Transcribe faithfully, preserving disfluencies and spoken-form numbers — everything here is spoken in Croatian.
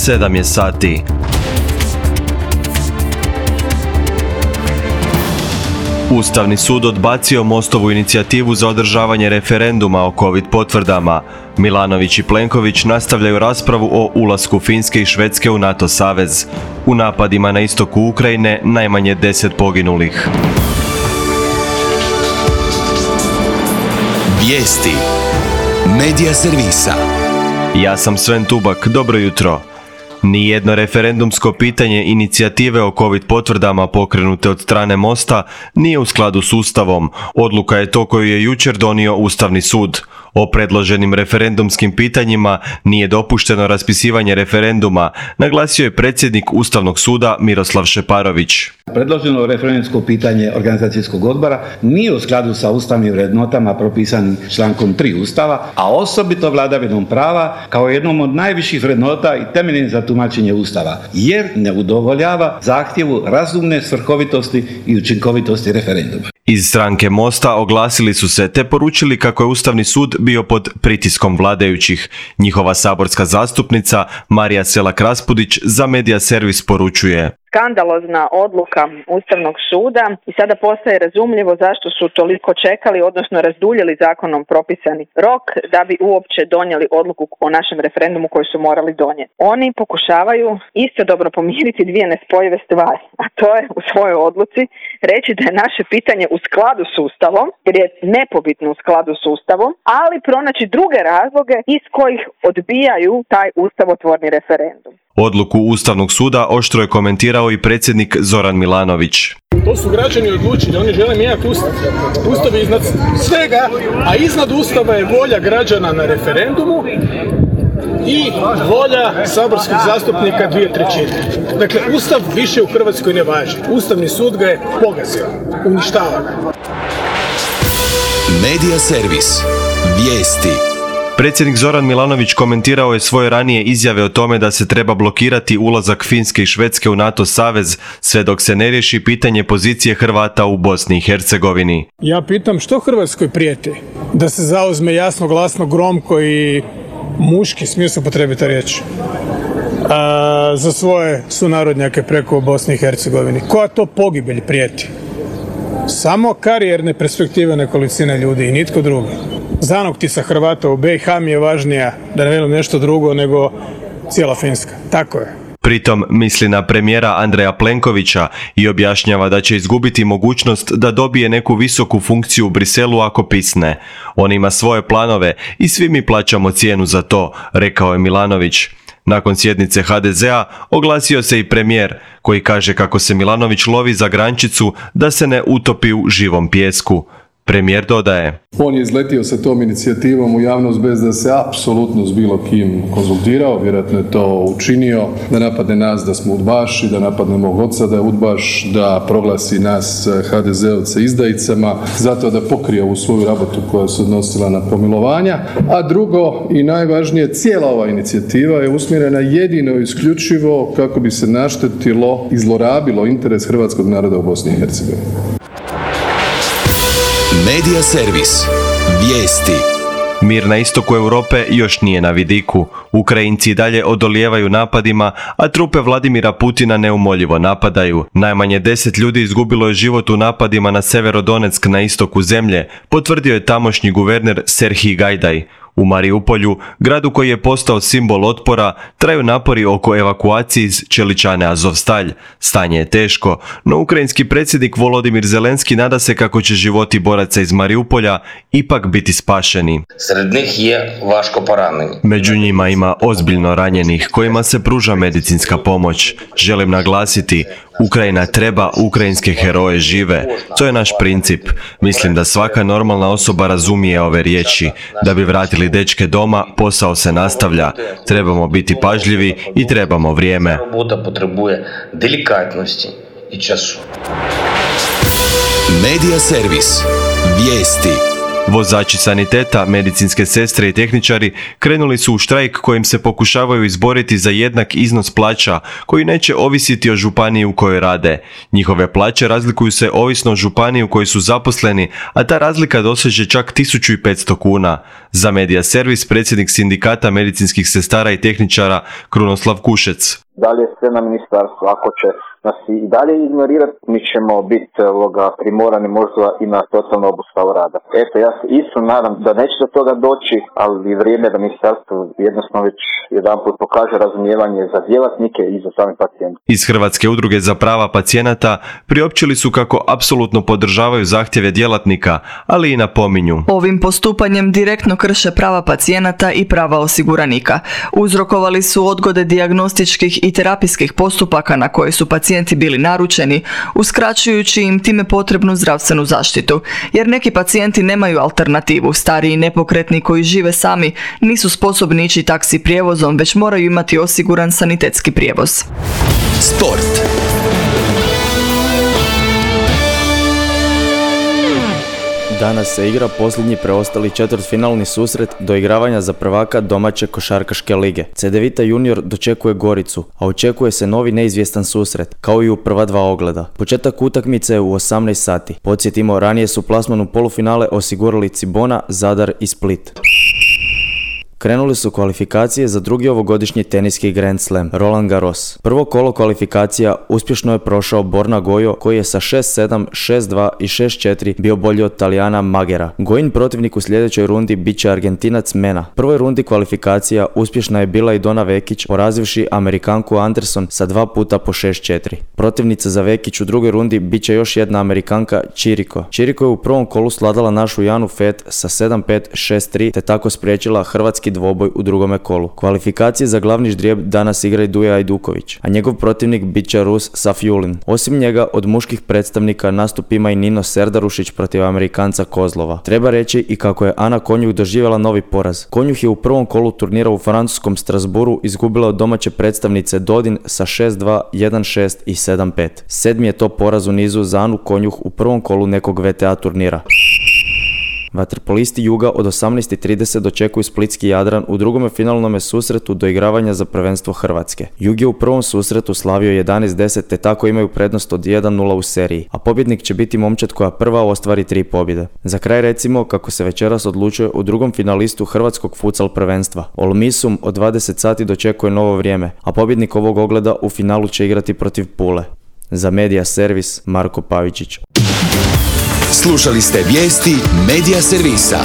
sedam je sati. Ustavni sud odbacio Mostovu inicijativu za održavanje referenduma o COVID potvrdama. Milanović i Plenković nastavljaju raspravu o ulasku Finske i Švedske u NATO savez. U napadima na istoku Ukrajine najmanje deset poginulih. Vijesti Medija servisa. Ja sam Sven Tubak, dobro jutro. Nijedno referendumsko pitanje inicijative o COVID potvrdama pokrenute od strane Mosta nije u skladu s Ustavom. Odluka je to koju je jučer donio Ustavni sud. O predloženim referendumskim pitanjima nije dopušteno raspisivanje referenduma, naglasio je predsjednik Ustavnog suda Miroslav Šeparović. Predloženo referendumsko pitanje organizacijskog odbora nije u skladu sa ustavnim vrednotama propisanim člankom tri Ustava, a osobito vladavinom prava kao jednom od najviših vrednota i temeljnim za tumačenje Ustava, jer ne udovoljava zahtjevu razumne svrhovitosti i učinkovitosti referenduma. Iz stranke Mosta oglasili su se te poručili kako je Ustavni sud bio pod pritiskom vladajućih. Njihova saborska zastupnica Marija Selak-Raspudić za Medija servis poručuje: skandalozna odluka Ustavnog suda i sada postaje razumljivo zašto su toliko čekali, odnosno razduljili zakonom propisani rok da bi uopće donijeli odluku o našem referendumu koju su morali donijeti. Oni pokušavaju istodobno pomiriti dvije nespojive stvari, a to je u svojoj odluci reći da je naše pitanje u skladu s Ustavom, jer je nepobitno u skladu s Ustavom, ali pronaći druge razloge iz kojih odbijaju taj ustavotvorni referendum. Odluku Ustavnog suda oštro je komentirao i predsjednik Zoran Milanović. To su građani odlučili, oni žele mijenjati Ustav. Ustav je iznad svega, a iznad Ustava je volja građana na referendumu i volja saborskih zastupnika dvije trećine. Dakle, Ustav više u Hrvatskoj ne važi. Ustavni sud ga je pogazio, uništava. Medija servis. Vijesti. Predsjednik Zoran Milanović komentirao je svoje ranije izjave o tome da se treba blokirati ulazak Finske i Švedske u NATO savez sve dok se ne riješi pitanje pozicije Hrvata u Bosni i Hercegovini. Ja pitam što Hrvatskoj prijeti? Da se zauzme jasno, glasno, gromko i muški, smije se upotrebiti riječ, a, za svoje sunarodnjake preko Bosni i Hercegovini. Koja to pogibelj prijeti? Samo karijerne perspektive nekolicine ljudi i nitko drugi. Zanoktica Hrvata u be i ha mi je važnija, da ne velim nešto drugo, nego cijela Finska. Tako je. Pritom misli na premijera Andreja Plenkovića i objašnjava da će izgubiti mogućnost da dobije neku visoku funkciju u Briselu ako pisne. On ima svoje planove i svi mi plaćamo cijenu za to, rekao je Milanović. Nakon sjednice ha de zea oglasio se i premijer, koji kaže kako se Milanović lovi za grančicu da se ne utopi u živom pijesku. Premijer dodaje: on je izletio sa tom inicijativom u javnost bez da se apsolutno s bilo kim konzultirao, vjerojatno je to učinio, da napadne nas da smo udbaši, da napadne mog oca da je udbaš, da proglasi nas ha de zeovce izdajicama, zato da pokrije ovu svoju rabotu koja se odnosila na pomilovanja, a drugo i najvažnije, cijela ova inicijativa je usmjerena jedino i isključivo kako bi se naštetilo i zlorabilo interes hrvatskog naroda u Bosni i Hercegovini. Medija servis. Vijesti. Mir na istoku Europe još nije na vidiku. Ukrajinci dalje odolijevaju napadima, a trupe Vladimira Putina neumoljivo napadaju. Najmanje deset ljudi izgubilo je život u napadima na Severodonetsk na istoku zemlje, potvrdio je tamošnji guverner Serhij Gajdaj. U Mariupolju, gradu koji je postao simbol otpora, traju napori oko evakuacije iz čeličane Azovstalj. Stanje je teško, no ukrajinski predsjednik Volodimir Zelenski nada se kako će životi boraca iz Mariupolja ipak biti spašeni. Sred njih je vaško poranjeni. Među njima ima ozbiljno ranjenih kojima se pruža medicinska pomoć. Želim naglasiti, Ukrajina treba ukrajinske heroje žive. To je naš princip. Mislim da svaka normalna osoba razumije ove riječi. Da bi vratili dečke doma, posao se nastavlja. Trebamo biti pažljivi i trebamo vrijeme. Robota potrebuje delikatnosti i času. Medija servis. Vijesti. Vozači saniteta, medicinske sestre i tehničari krenuli su u štrajk kojim se pokušavaju izboriti za jednak iznos plaća koji neće ovisiti o županiji u kojoj rade. Njihove plaće razlikuju se ovisno o županiji u kojoj su zaposleni, a ta razlika doseže čak tisuću petsto kuna. Za Medija Servis predsjednik sindikata medicinskih sestara i tehničara Krunoslav Kušec. Da li je sve na ministarstvu? Ako će nas i dalje ignorirati, mi ćemo biti ovoga, primorani možda i na totalnu obustavu rada. Eto, ja se isto nadam da neće do toga doći, ali vrijeme da ministarstvo jednostavno već jedanput pokaže razumijevanje za djelatnike i za same pacijente. Iz Hrvatske udruge za prava pacijenata priopćili su kako apsolutno podržavaju zahtjeve djelatnika, ali i napominju. Ovim postupanjem direktno krše prava pacijenata i prava osiguranika. Uzrokovali su odgode dijagnostičkih i terapijskih postupaka na koje su pacijenti bili naručeni, uskraćujući im time potrebnu zdravstvenu zaštitu, jer neki pacijenti nemaju alternativu. Stariji i nepokretni koji žive sami nisu sposobni ići taksi prijevozom, već moraju imati osiguran sanitetski prijevoz. Sport. Danas se igra posljednji preostali četvrtfinalni susret doigravanja za prvaka domaće košarkaške lige. Cedevita Junior dočekuje Goricu, a očekuje se novi neizvjestan susret, kao i u prva dva ogleda. Početak utakmice je u osamnaest sati. Podsjetimo, ranije su plasman u polufinale osigurali Cibona, Zadar i Split. Krenuli su kvalifikacije za drugi ovogodišnji teniski Grand Slam, Roland Garros. Prvo kolo kvalifikacija uspješno je prošao Borna Gojo, koji je sa šest sedam, šest dva i šest četiri bio bolji od Talijana Magera. Gojin protivnik u sljedećoj rundi bit će Argentinac Mena. Prvoj rundi kvalifikacija uspješna je bila i Dona Vekić, porazivši Amerikanku Anderson sa dva puta po šest četiri. Protivnica za Vekić u drugoj rundi bit će još jedna Amerikanka Čiriko. Čiriko je u prvom kolu sladala našu Janu Fet sa sedam pet, šest tri, te tako spriječila hrvatski dvoboj u drugome kolu. Kvalifikacije za glavni ždrijeb danas igra i Duje Ajduković, a njegov protivnik bit će Rus Safjulin. Osim njega, od muških predstavnika nastup ima i Nino Serdarušić protiv Amerikanca Kozlova. Treba reći i kako je Ana Konjuh doživjela novi poraz. Konjuh je u prvom kolu turnira u francuskom Strasbourgu izgubila od domaće predstavnice Dodin sa šest dva, jedan šest i sedam pet. Sedmi je to poraz u nizu za Anu Konjuh u prvom kolu nekog V T A turnira. Vaterpolisti Juga od osamnaest i trideset dočekuju splitski Jadran u drugome finalnome susretu doigravanja za prvenstvo Hrvatske. Jug je u prvom susretu slavio jedanaest deset, te tako imaju prednost od jedan nula u seriji, a pobjednik će biti momčad koja prva ostvari tri pobjede. Za kraj recimo kako se večeras odlučuje u drugom finalistu Hrvatskog futsal prvenstva. Olmisum od dvadeset sati dočekuje novo vrijeme, a pobjednik ovog ogleda u finalu će igrati protiv Pule. Za Medija Servis, Marko Pavičić. Slušali ste vijesti Medija Servisa.